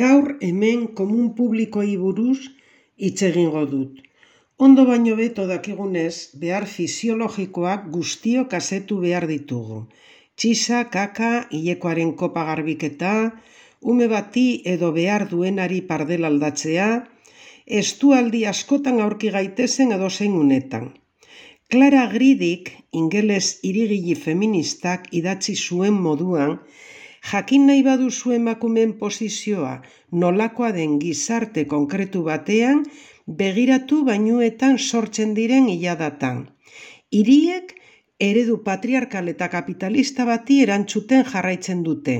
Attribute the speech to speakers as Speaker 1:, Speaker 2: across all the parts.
Speaker 1: Gaur hemen komun publikoei buruz hitz egingo dut. Ondo baino beto dakigunez, behar fisiologikoak guztiok asetu behar ditugu. Txisa, kaka, hilekoaren kopa garbiketa, ume bati edo behar duenari pardel aldatzea, estualdi askotan aurki gaitezen edozein unetan. Clara Gridik, ingeles hirigile feministak idatzi zuen moduan, jakin nahi baduzu emakumeen posizioa nolakoa den gizarte konkretu batean, begiratu bainuetan sortzen diren iladatan. Hiriek eredu patriarkal eta kapitalista bati erantzuten jarraitzen dute,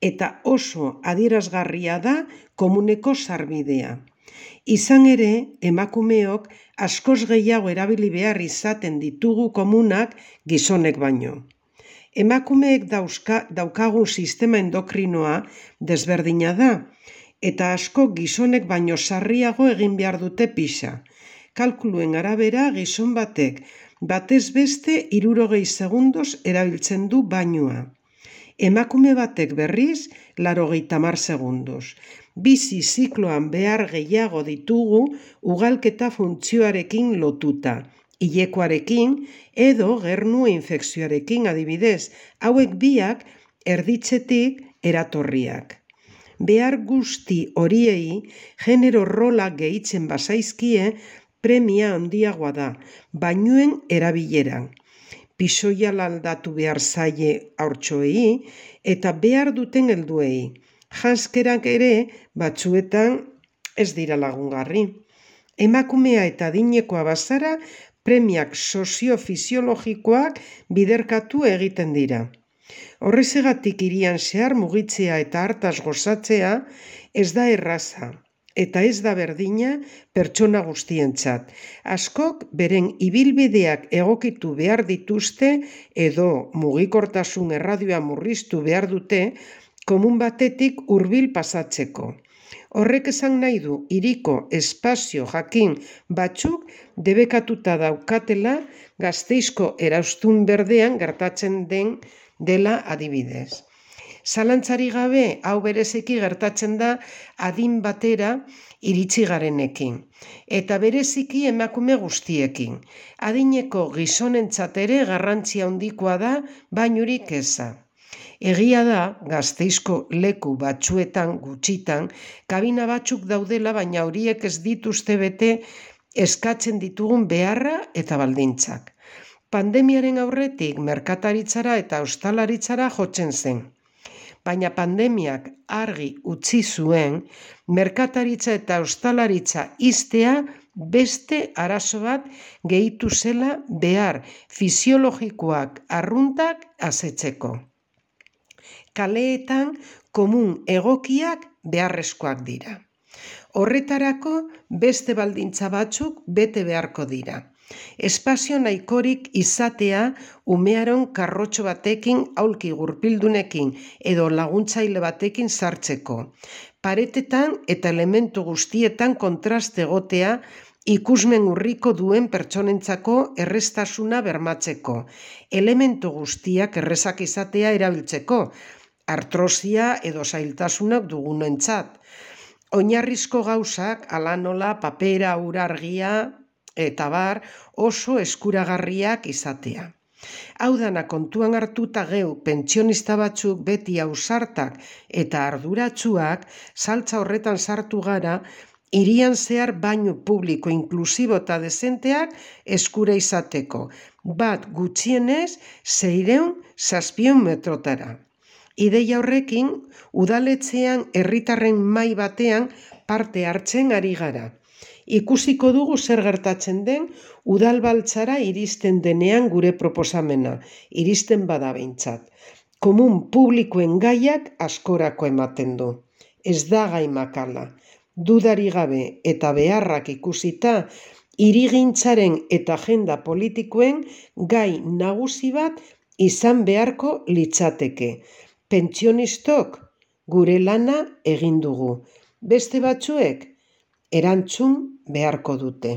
Speaker 1: eta oso adierazgarria da komuneko sarbidea. Izan ere, emakumeok askoz gehiago erabili behar izaten ditugu komunak gizonek baino. Emakumeek daukagun sistema endokrinoa desberdina da, eta asko gizonek baino sarriago egin behar dute pixa. Kalkuluen arabera gizon batek batez beste 60 segundos erabiltzen du bainua. Emakume batek berriz 80 segundos. Bizi zikloan behar gehiago ditugu ugalketa funtzioarekin lotuta, hilekoarekin edo gernu infekzioarekin adibidez, hauek biak erditzetik eratorriak. Behar guzti horiei genero rolak gehitzen bazaizkie premia handiagoa da, bainuen erabileran. Pisoia aldatu behar zaie haurtxoei eta behar duten helduei. Janskerak ere batzuetan ez dira lagungarri. Emakumea eta adinekoa bazara premiak soziofisiologikoak biderkatu egiten dira. Horrezegatik hirian zehar mugitzea eta hartaz gozatzea ez da erraza, eta ez da berdina pertsona guztientzat. Askok beren ibilbideak egokitu behar dituzte edo mugikortasun erradioa murriztu behar dute komun batetik hurbil pasatzeko. Horrek esan nahi du hiriko espazio jakin batzuk debekatuta daukatela Gasteizko eraustun berdean gertatzen dela adibidez. Zalantzarik gabe, hau bereziki gertatzen da adin batera iritsi garenekin, eta bereziki emakume guztiekin. Adineko gizonentzat ere garrantzia handikoa da bainurik eza. Egia da, Gasteizko leku batzuetan gutxitan, kabina batzuk daudela, baina horiek ez dituzte bete eskatzen ditugun beharra eta baldintzak. Pandemiaren aurretik merkataritzara eta ostalaritzara jotzen zen. Baina pandemiak argi utzi zuen, merkataritza eta ostalaritza ixtea beste arazo bat gehitu zela behar fisiologikoak arruntak asetzeko. Kaleetan komun egokiak beharrezkoak dira. Horretarako beste baldintza batzuk bete beharko dira. Espazio nahikorik izatea umearon karrotxo batekin, aulki gurpildunekin edo laguntzaile batekin sartzeko. Paretetan eta elementu guztietan kontraste egotea ikusmen urriko duen pertsonentzako erreztasuna bermatzeko. Elementu guztiak errezak izatea erabiltzeko, artrosia edo zailtasunak dugunentzat. Oinarrizko gauzak, hala nola, papera, ura, argia eta bar, oso eskuragarriak izatea. Hau dana kontuan hartuta geu pentsionista batzuk beti ausartak eta arduratsuak saltza horretan sartu gara, hirian zehar bainu publiko inklusibo eta dezenteak eskura izateko, bat gutxienez 600-700 metrotara. Ideia horrekin, udaletxean herritarren mahai batean parte hartzen ari gara. Ikusiko dugu zer gertatzen den udalbaltzara iristen denean gure proposamena, iristen bada behintzat. Komun publikoen gaiak askorako ematen du. Ez da gai makala. Dudari gabe eta beharrak ikusita, hirigintzaren eta agenda politikoen gai nagusi bat izan beharko litzateke. Pentsionistok gure lana egin dugu. Beste batzuek erantzun beharko dute.